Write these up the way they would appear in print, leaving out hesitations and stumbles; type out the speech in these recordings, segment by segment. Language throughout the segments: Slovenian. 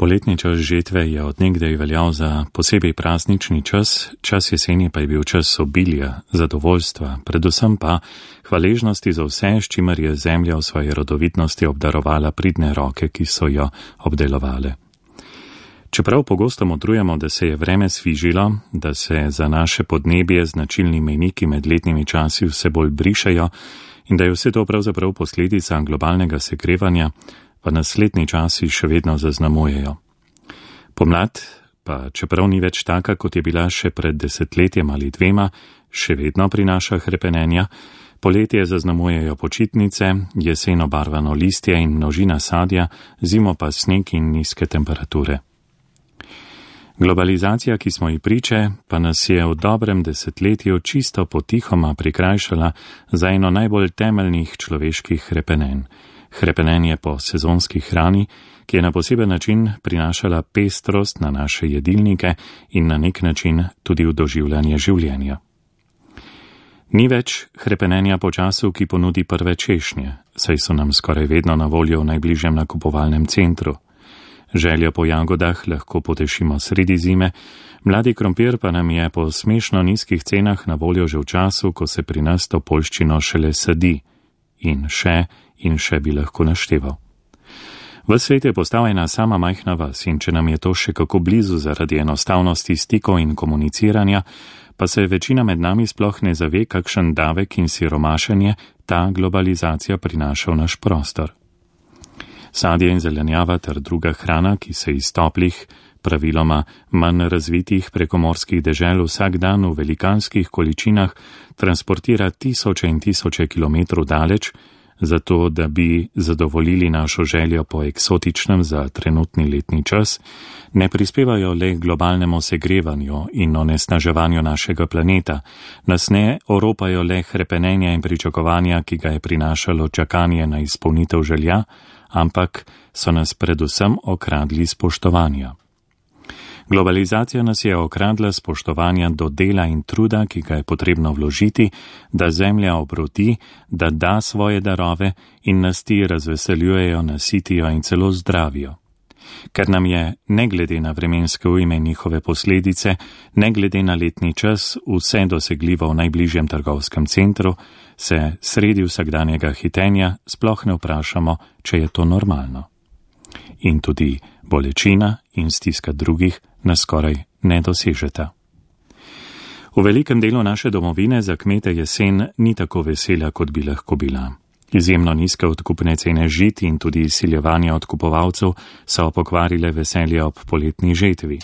Poletni čas žetve je od nekdaj veljal za posebej praznični čas, čas jeseni pa je bil čas obilja, zadovoljstva, predvsem pa hvaležnosti za vse, s čimer je zemlja v svoji rodovitnosti obdarovala pridne roke, ki so jo obdelovale. Čeprav pogosto modrujemo, da se je vreme svižilo, da se za naše podnebje značilni mejniki med letnimi časi vse bolj brišejo in da je vse to pravzaprav posledica globalnega segrevanja, pa nas letni časi še vedno zaznamujejo. Pomlad, pa čeprav ni več taka, kot je bila še pred 10 ali 2, še vedno prinaša hrepenenja, poletje zaznamujejo počitnice, jesen obarvano listje in množina sadja, zimo pa sneg in nizke temperature. Globalizacija, ki smo ji priče, pa nas je v dobrem 10 čisto potihoma prikrajšala za eno najbolj temeljnih človeških hrepenenj. Hrepenenje po sezonski hrani, ki je na poseben način prinašala pestrost na naše jedilnike in na nek način tudi v doživljanje življenja. Ni več hrepenenja po času, ki ponudi prve češnje, saj so nam skoraj vedno na voljo v najbližjem nakupovalnem centru. Željo po jagodah lahko potešimo sredi zime, mladi krompir pa nam je po smešno nizkih cenah na voljo že v času, ko se pri nas to poljščino šele sadi. In še bi lahko našteval. V svet je postal ena sama majhna vas in če nam je to še kako blizu zaradi enostavnosti stikov in komuniciranja, pa se večina med nami sploh ne zave, kakšen davek in siromašenje ta globalizacija prinaša v naš prostor. Sadje in zelenjava ter druga hrana, ki se iz toplih, praviloma manj razvitih prekomorskih dežel vsak dan v velikanskih količinah transportira tisoče in tisoče kilometrov daleč, zato da bi zadovoljili našo željo po eksotičnem za trenutni letni čas, ne prispevajo le globalnemu segrevanju in onesnaževanju našega planeta, nas ne oropajo le hrepenenja in pričakovanja, ki ga je prinašalo čakanje na izpolnitev želja, ampak so nas predvsem okradli spoštovanja. Globalizacija nas je okradla spoštovanja do dela in truda, ki ga je potrebno vložiti, da zemlja obroti, da da svoje darove in nas ti razveseljujejo, nasitijo in celo zdravijo. Ker nam je, ne glede na vremenske ujme in njihove posledice, ne glede na letni čas, vse dosegljivo v najbližjem trgovskem centru, se sredi vsakdanjega hitenja sploh ne vprašamo, če je to normalno. In tudi bolečina in stiska drugih nas skoraj ne dosežeta. V velikem delu naše domovine za kmete jesen ni tako vesela, kot bi lahko bila. Izjemno nizke odkupne cene žit in tudi izsiljevanje odkupovalcev so pokvarile veselje ob poletni žetvi.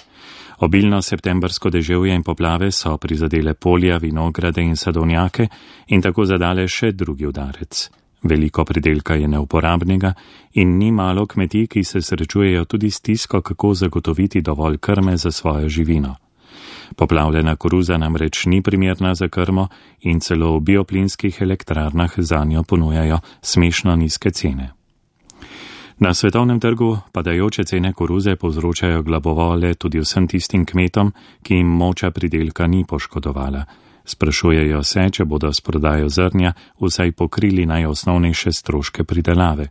Obilno septembrsko deževje in poplave so prizadele polja, vinograde in sadovnjake in tako zadale še drugi udarec. Veliko pridelka je neuporabnega in ni malo kmetij, ki se srečujejo tudi s stisko, kako zagotoviti dovolj krme za svojo živino. Poplavljena koruza namreč ni primerna za krmo in celo v bioplinskih elektrarnah zanjo ponujajo smešno nizke cene. Na svetovnem trgu padajoče cene koruze povzročajo glavobole tudi vsem tistim kmetom, ki jim moča pridelka ni poškodovala. Sprašujejo se, če bodo s prodajo zrnja vsaj pokrili najosnovnejše stroške pridelave.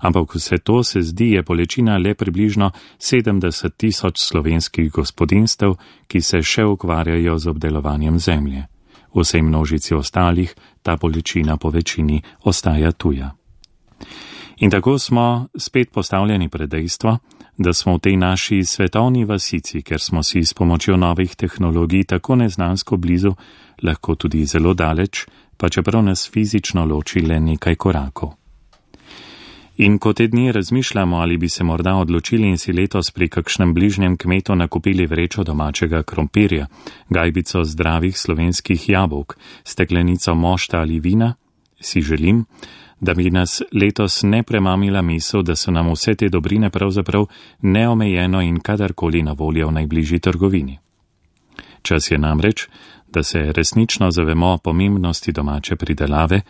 Ampak vse to se zdi je bolečina le približno 70.000 slovenskih gospodinstev, ki se še ukvarjajo z obdelovanjem zemlje. Vsej množici ostalih ta bolečina po večini ostaja tuja. In tako smo spet postavljeni pred dejstvo, da smo v tej naši svetovni vasici, ker smo si s pomočjo novih tehnologij tako neznansko blizu, lahko tudi zelo daleč, pa čeprav nas fizično loči le nekaj korakov. In ko te dni razmišljamo, ali bi se morda odločili in si letos pri kakšnem bližnjem kmetu nakupili vrečo domačega krompirja, gajbico zdravih slovenskih jabolk, steklenico mošta ali vina, si želim, da bi nas letos ne premamila misel, da so nam vse te dobrine pravzaprav neomejeno in kadarkoli na voljo v najbližji trgovini. Čas je namreč, da se resnično zavemo pomembnosti domače pridelave,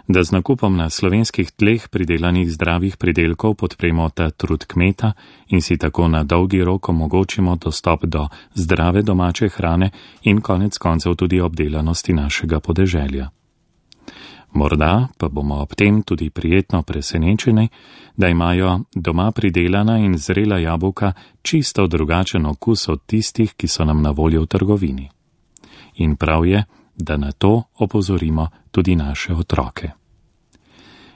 da z nakupom na slovenskih tleh pridelanih zdravih pridelkov podpremo ta trud kmeta in si tako na dolgi rok omogočimo dostop do zdrave domače hrane in konec koncev tudi obdelanosti našega podeželja. Morda pa bomo ob tem tudi prijetno presenečeni, da imajo doma pridelana in zrela jabolka čisto drugačen okus od tistih, ki so nam na voljo v trgovini. In prav je, da na to opozorimo tudi naše otroke.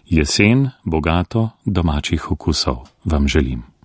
Jesen, bogato domačih okusov vam želim.